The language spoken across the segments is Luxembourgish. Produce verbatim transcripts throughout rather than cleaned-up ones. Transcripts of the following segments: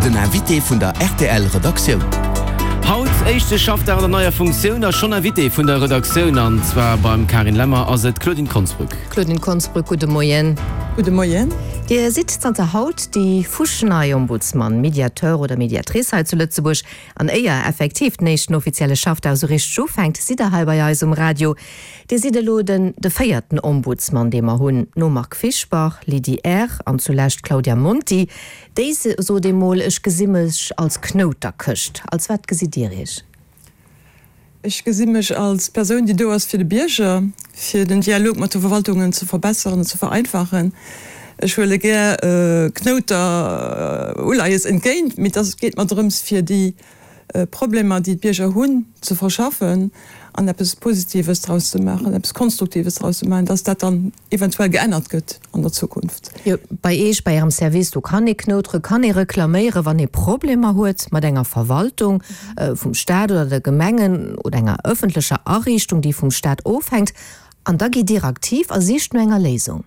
Den Invité vun der R T L Redaktioun. Haut éischte Schaffdag an der neier Funktioun a schonn Invité vun der Redaktioun, an zwar beim Karin Lemmer, ass et d'Claudine Konsbrück. Claudine Konsbrück, gudde Moien. Gudde Moien. Dir sidd zanter haut déi fuschnei Ombudsman, Mediateur oder Mediatrice hei zu Lëtzebuerg. An éier effektiv den éischten offizielle Schaffdag sou richteg ufänkt, sidd der hei bei eis um Radio. Dir sidd elo den de véierten Ombudsman, dee mer hunn, nom Marc Fischbach, Lydie Err an zulescht Claudia Monti. Déi sot emol, ech gesi mech als Knouterkëscht. Als wat gesitt Dir Iech? Ech gesi mech als Persoun, déi do ass fir de Bierger, fir den Dialog mat de Verwaltungen ze verbesseren an ze vereinfachen. Ech huele gär Knouter Uleies entgéint, mee et geet mer drëms, fir déi Problemer, déi d'Bierger hunn, ze verschaffen an eppes Positives draus ze maachen, eppes Konstruktives draus ze maachen, dass dat dann eventuell geännert gëtt an der Zukunft. Jo, bei Iech, bei Ärem Service, do kann ee knoutere, kann ee reklaméieren, wann ee Problemer huet mat enger Verwaltung vum Staat oder de Gemengen oder enger ëffentlecher Ariichtung, déi vum Staat ofhänkt. An da gitt Dir aktiv a sicht no enger Léisung.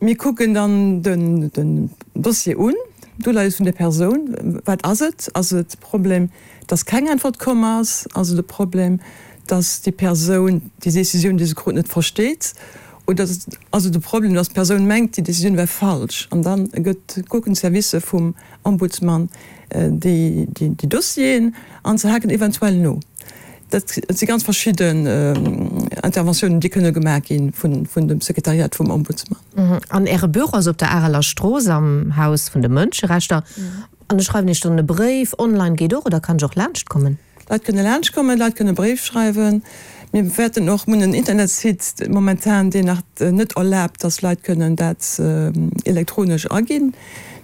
Mir kucken dann den, den Dossier un, d'Uleies vun der Persoun. Wat ass et? Ass et de Problem, dass keng Äntwert komm ass? Ass et de Problem, dass déi Persoun déi Decisioun, déi se krut, net versteet? Oder ass et de Problem, dass d'Persoun mengt, déi Decisioun wär falsch? An dann gëtt, kucken d'Servicer vum Ombudsman déi, déi, déi Dossieren an se haken eventuell no. Dat si ganz verschidden Interventiounen, déi kënne gemaach gi vun, vun dem Sekretariat vum Ombudsman. An Äre Büro ass op der Areler Strooss am Haus vun de Mënscherechter. An ech schreiwen Iech dann e Bréif, online geet och, oder kann ech och laanscht kommen? Leit kënne laanscht kommen, Leit kënne Bréif schreiwen. Mir wäerten och, mir hunn en Internetsite momentan, deen nach net erlaabt, dass Leit kënnen dat elektronesch aginn.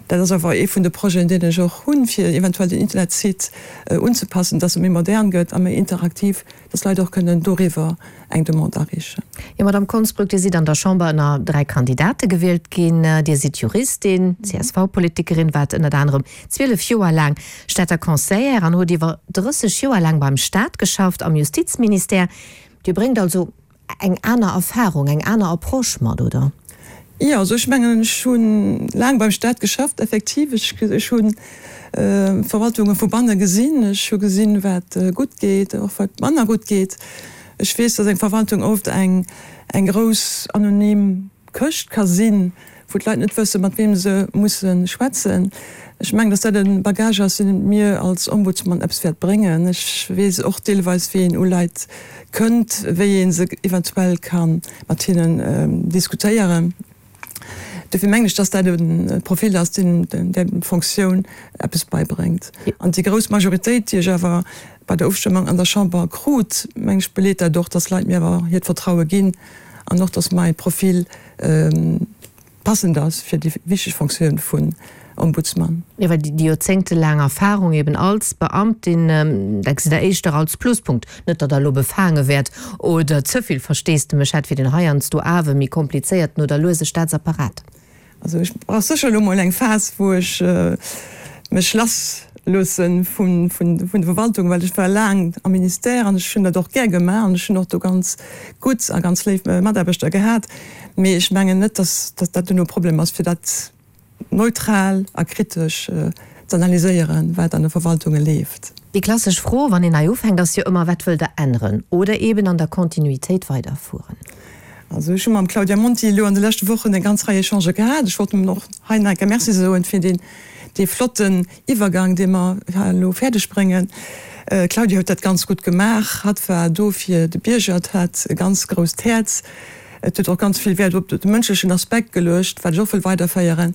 Dat ass awer ee vun de Projeten, deen ech och hunn, fir eventuell den Internetsite unzepassen, dass e méi modern gëtt a méi interaktiv, dass Leit och kënnen doriwwer eng Demande areechen. Jo, Madamm Konsbrück, Dir sidd an der Chamber ënner dräi Kandidate gewielt ginn. Dir sidd Juristin, C S V-Politikerin, waart ënnert anerem zwielef Joer laang Stater Conseillère an hutt iwwer drësseg Joer laang beim Staat geschafft, am Justizministère. Dir bréngt also eng aner Erfarung, eng aner Approche mat, oder? Jo, also ech mengen, ech hu laang beim Staat geschafft, effektiv. Ech, ech hunn Verwaltunge vu banne gesinn. Ech hu gesinn, wat gutt geet, och wat manner gutt geet. Ech weess, dass eng Verwaltung oft eng, eng grouss anonym Këscht ka sinn, wou d'Leit net wëssen, mat weem se musse schwätzen. Ech mengen, dass dat e Bagage ass, deen mir als Ombudsman eppes wäert bréngen. Ech weess och deelweis, wéi een u Leit kënnt, wéi ee se eventuell ka mat hinnen diskutéieren. Dofir mengen ech, dass dat e Profil ass, deen der Funktioun eppes beibréngt. An déi grouss Majoritéit, déi ech awer bei der Ofstëmmung an der Chamber krut, mengen ech, beleet dat och, dass Leit mir awer hiert Vertraue ginn an och, dass mäi Profil passend ass fir déi wichteg Funktioun vun Ombudsman. Jo, well déi joerzéngtelaang Erfahrung eben als Beamtin, dat gesitt Der éischter als Pluspunkt. Net, datt Der elo befaange wäert oder ze vill Versteesdemech hätt fir den heiansdo awer méi komplizéierten oder luese Staatsapparat. Also ech brauch sécher elo mol eng Phas, wou ech mech lass loosse vun vun der Verwaltung, well ech war laang am Ministère an ech hunn dat och gär gemaach an ech hunn och do ganz gutt a ganz léif Mataarbechter gehat. Mee ech mengen net, datt dat duerno e Problem ass, fir dat neutral a kritesch z'analyséieren, wat an de Verwaltunge leeft. Déi klassesch Fro, wann een nei ufänkt, ass jo ëmmer, Wat wëllt Der änneren oder eben an der Kontinuitéit weiderfueren? Also ech hu mam Claudia Monti elo an de leschte Wochen eng ganz Rei Echangë gehat. Ech wollt em och hei nach eng Kéier Merci soen fir deen, dee flotten Iwwergang, dee mer elo fäerdeg bréngen. D'Claudia huet dat ganz gutt gemaach. Hatt war do fir de Bierger, et hat e ganz grousst Häerz. Et huet och ganz vill Wäert op de mënschlechen Aspekt geluecht, wat ech och wëll weiderféieren.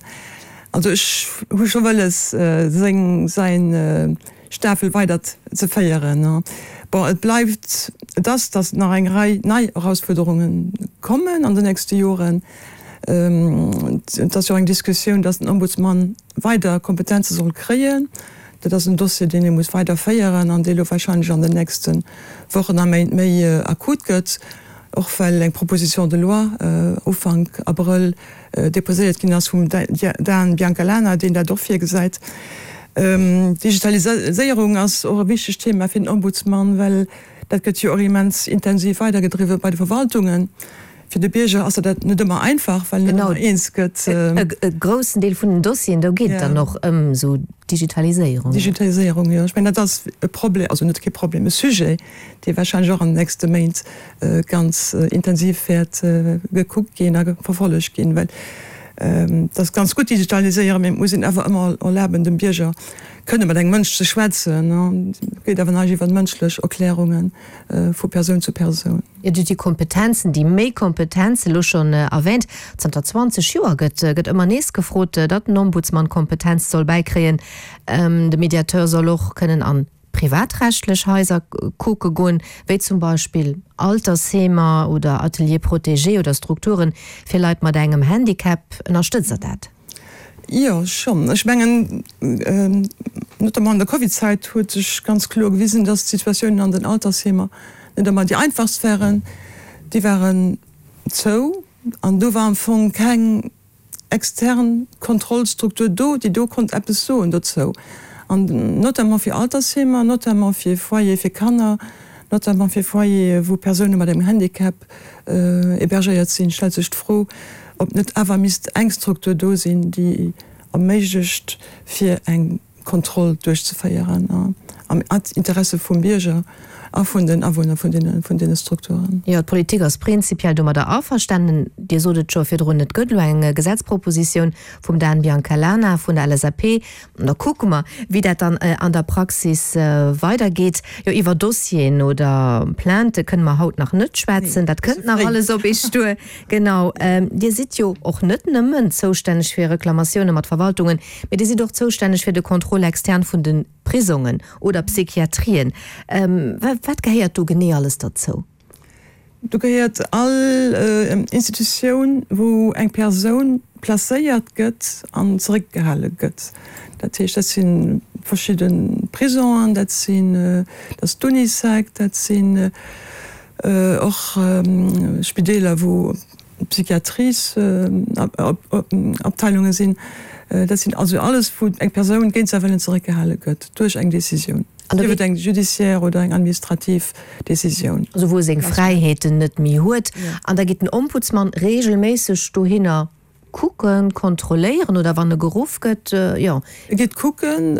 Also ech hu scho wëlles, seng, säin Stafel weider ze féieren. Bon, et bleift, et ass, datt nach eng Rei nei Erausfuerderunge kommen an den nächste Joren. Et ass jo och eng Diskussioun, datt den Ombudsman weider Kompetenze soll kréien. Dat ass en Dossier, deen ee muss weiderféieren an dee lo warscheinlech an den nächste Wochen a Méint méi akut gëtt, och well eng Proposition de loi Ufank Abrëll deposéiert ginn ass vum Dan Biancalana, deen dat och virgesäit. D'Digitaliséierung ass och e wichtegt Thema fir den Ombudsman, well dat gëtt jo och immens intensiv weidergedriwwe bei de Verwaltungen. Fir de Bierger ass dat net ëmmer einfach, well net ëmmer eens gëtt. E groussen Deel vun den Dossieren, do geet et dann och ëm esou Digitaliséierung. Digitaliséierung, jo. Ech mengen, dat ass e Problem, also net kee Problem, e Sujet, dee warscheinlech och an den nächste Méint ganz intensiv wäert gekuckt ginn a verfollegt ginn, well et ass ganz gutt digitaliséieren, mee et muss een awer ëmmer erlaben dem Bierger kënne mat engem Mënsch ze schwätzen. Et geet awer näischt iwwer mënschlech Erklärunge vu Persoun zu Persoun. Jo, Dir hutt déi Kompetenzen, déi méi Kompetenzen elo schonn erwähnt. Zanter zwanzeg Joer gëtt gëtt ëmmer nees gefrot, datt den Ombudsman Kompetenz soll bäikréien. De Mediateur soll och kënnen an privatrechtlech Haiser kucke goen, wéi zum Beispill Altersheemer oder Ateliers protégés oder Strukture fir Leit mat engem Handicap. Ënnerstëtzt Der dat? Jo, schonn. Ech mengen, notamment an der Covidzäit huet sech ganz kloer gewisen, dass d'Situatiounen an den Altersheemer net ëmmer déi einfachst waren. Déi waren zou an do war am Fong keng extern Kontrollstruktur do, déi do konnt eppes soen dozou. An notamment fir Altersheemer, notamment fir Foyere fir Kanner, notamment fir Foyere wou Persoune mat engem Handicap hébergéiert sinn, stellt sech d'Fro, ob net awer misst eng Struktur do sinn, déi erméiglecht fir eng Kontroll duerchzeféieren am Interesse vum Bierger a vun den Awunner vun deene Strukturen. Jo, d'Politik ass prinzipiell domadder averstanen. Dir sot et scho virdrun, et gëtt elo eng Gesetzpropositioun vum Dan Biancalana vun der L S A P. An da kucke mer, wéi dat dann an der Praxis weidergeet. Jo, iwwer Dossieren oder Plaintë kënne mer haut nach net schwätzen. Dat kënnt nach alles op Iech duer. Genau. Dir sidd jo och net nëmmen zoustänneg fir Reklamatioune mat Verwaltungen, mee Dir sidd och zoustänneg fir de Contrôle externe vun de Prisongen oder Psychiatrien. Wat gehéiert do genee alles derzou? Do gehéiert all Institutioun, wou eng Persoun placéiert gëtt an zeréckgehale gëtt. Dat heescht, dat si verschidde Prisongen, dat sinn, dat ass d'Unisec, dat sinn och Spideeler, wou Psychiatriesabteilunge sinn. Dat sinn also alles, wou eng Persoun géint säi Wëllen zeréckgehale gëtt duerch eng Decisioun, sief et eng judiciaire oder eng administrativ Decisioun. Also wou e seng Fräiheeten net méi huet. An da geet den Ombudsman reegelméisseg dohinner kucken, kontrolléieren oder wann e geruff gëtt, jo. E geet kucken,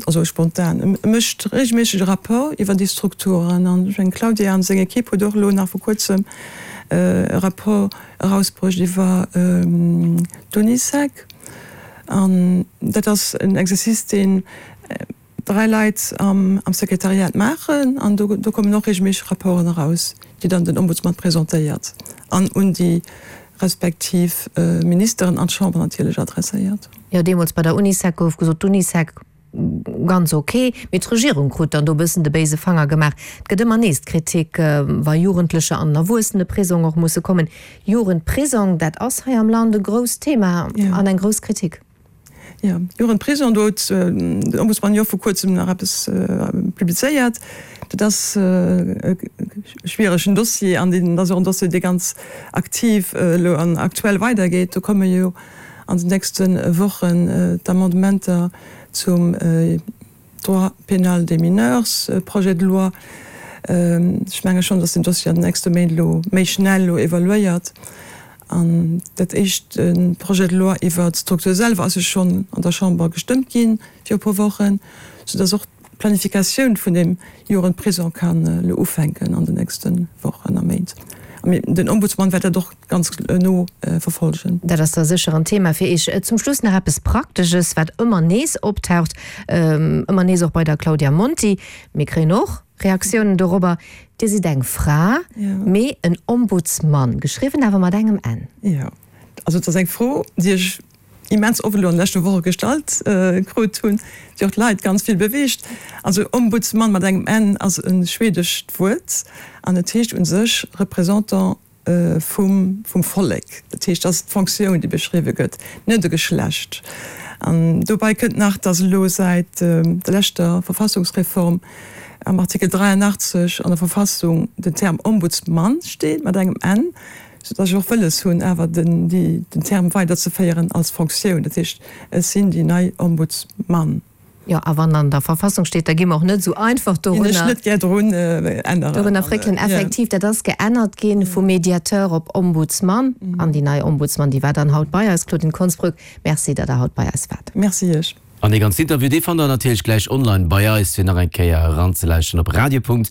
also spontan. E mécht reegelméisseg e Rapport iwwer déi Strukturen. An ech mengen, d'Claudia an seng Ekipp huet och elo nach vor kuerzem e Rapport erausbruecht iwwer d'Unisec. An dat ass en Exercice, deen dräi Leit am Sekretariat maachen. An do kommen och reegelméisseg Rapporten eraus, déi dann den Ombudsman presentéiert an un déi respektiv Ministeren an d'Chamber natierlech adresséiert. Jo, deemools bei der Unisec gouf gesot, d'Unisec ganz ok, mee d'Regierung krut dann do e bëssen de béise Fanger gemaach. Et gëtt ëmmer nees d'Kritik, wa Jugendlecher an den Erwuesseneprisong och musse kommen. Jugendprisong, dat ass hei am Land e grousst Thema an eng grouss Kritik. Jo, Jugendprisong, do huet den Ombudsman jo vor kuerzem nach eppes publizéiert. Dat ass e schwieregen Dossier an deen ass och en Dossier, dee ganz aktiv elo an aktuell weidergeet. Do komme jo an den nächste Wochen d'Amendementer zum Droit pénal des mineurs, Projet de loi. Ech menge schonn, datt den Dossier an den nächste Méint elo méi schnell elo evoluéiert. An dat éischt Projet de loi iwwert d'Struktur selwer ass jo schonn an der Chamber gestëmmt gi viru e puer Wochen, soudass och d'Planifikatioun vun deem Jugendprisong kann elo ufänken an den nächste Wochen a Méint. Den Ombudsman wäert dat och ganz no verfolgen. Dat ass da sécher en Thema fir Iech. Zum Schluss nach eppes Praktesches, wat ëmmer nees optaucht, ëmmer nees och bei der Claudia Monti. Mir kréien och Reaktiounen dorobber. Dir sidd eng Fra, mee en Ombudsmann, geschriwwen awer mat engem N. Jo, also et ass eng Fro, déi ech immens oft elo an de leschte Woche gestallt krut hunn, déi och d'Leit ganz vill beweegt. Also Ombudsman mat engem N ass e schwedescht Wuert an et heescht u sech Représentant vum vum Vollek. Dat heescht, dat ass d'Fonctioun, déi beschriwwe gëtt, net e Geschlecht. An dobäi kënnt nach, datt elo säit der leschter Verfassungsreform am Artikel dräianachtzeg an der Verfassung den Term Ombudsmann steet mat engem N, soudatt ech och wëlles hunn, awer den den Term weiderzeféieren als Fonctioun. Dat heescht, ech sinn déi nei Ombudsmann. Jo, a wann an der Verfassung steet, da gi mer och net esou einfach dorunner. Ginn ech net gär drun änneren. Dorunner fréckelen. Effektiv, dat ass geännert ginn vum Mediateur op Ombudsman. An déi nei Ombudsman, déi war dann haut bei eis, Claudine Konsbrück. Merci, datt Der haut bei eis waart. Merci Iech. An dee ganzen Interview, dee fannt der natierlech gläich online bei eis, fir nach eng Kéier eranzelauschteren op radio.rtl.lu.